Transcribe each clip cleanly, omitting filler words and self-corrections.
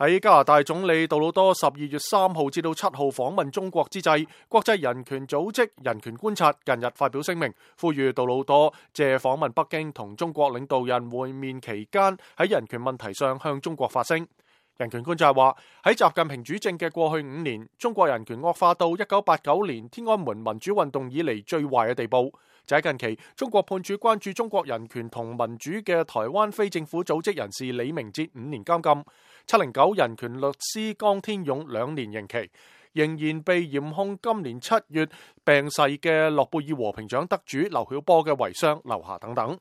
喺加拿大總理杜魯多12月3號至到7號訪問中國之際，國際人權組織人權觀察近日發表聲明，呼籲杜魯多借訪問北京同中國領導人會面期間喺人權問題上向中國發聲。人權觀察話，喺習近平主政嘅過去5年，中國人權惡化到1989年天安門民主運動以嚟最壞嘅地步。就喺近期，中國判處關注中國人權同民主嘅台灣非政府組織人士李明哲5年監禁，709人權律師江天勇2年刑期，仍然被嚴控今年7月病逝嘅諾貝爾和平獎得主劉曉波嘅遺孀劉霞等等。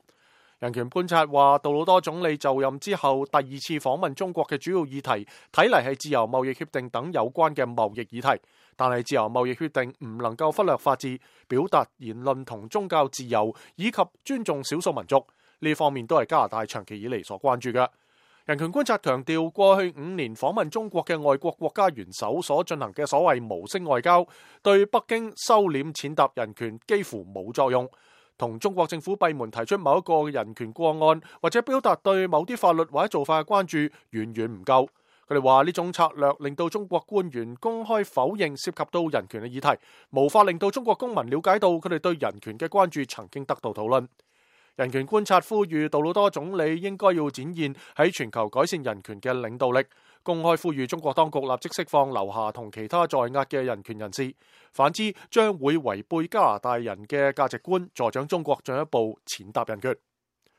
人權觀察話，杜魯多總理就任之後第2次訪問中國嘅主要議題，睇嚟係自由貿易協定等有關嘅貿易議題。但係自由貿易協定唔能夠忽略法治、表達言論同宗教自由，以及尊重少數民族，呢方面都係加拿大長期以嚟所關注嘅。人權觀察強調，過去5年訪問中國嘅外國國家元首所進行嘅所謂無聲外交，對北京收斂踐踏人權幾乎冇作用。同中國政府閉門提出某一個人權個案，或者表達對某啲法律或者做法嘅關注，遠遠唔夠。佢哋話呢種策略令到中國官員公開否認涉及到人權嘅議題，無法令到中國公民了解到佢哋對人權嘅關注曾經得到討論。人權觀察呼籲杜魯多總理應該要展現喺全球改善人權嘅領導力，公開呼籲中國當局立即釋放劉霞同其他在押嘅人權人士，反之將會違背加拿大人嘅價值觀，助長中國進一步踐踏人權。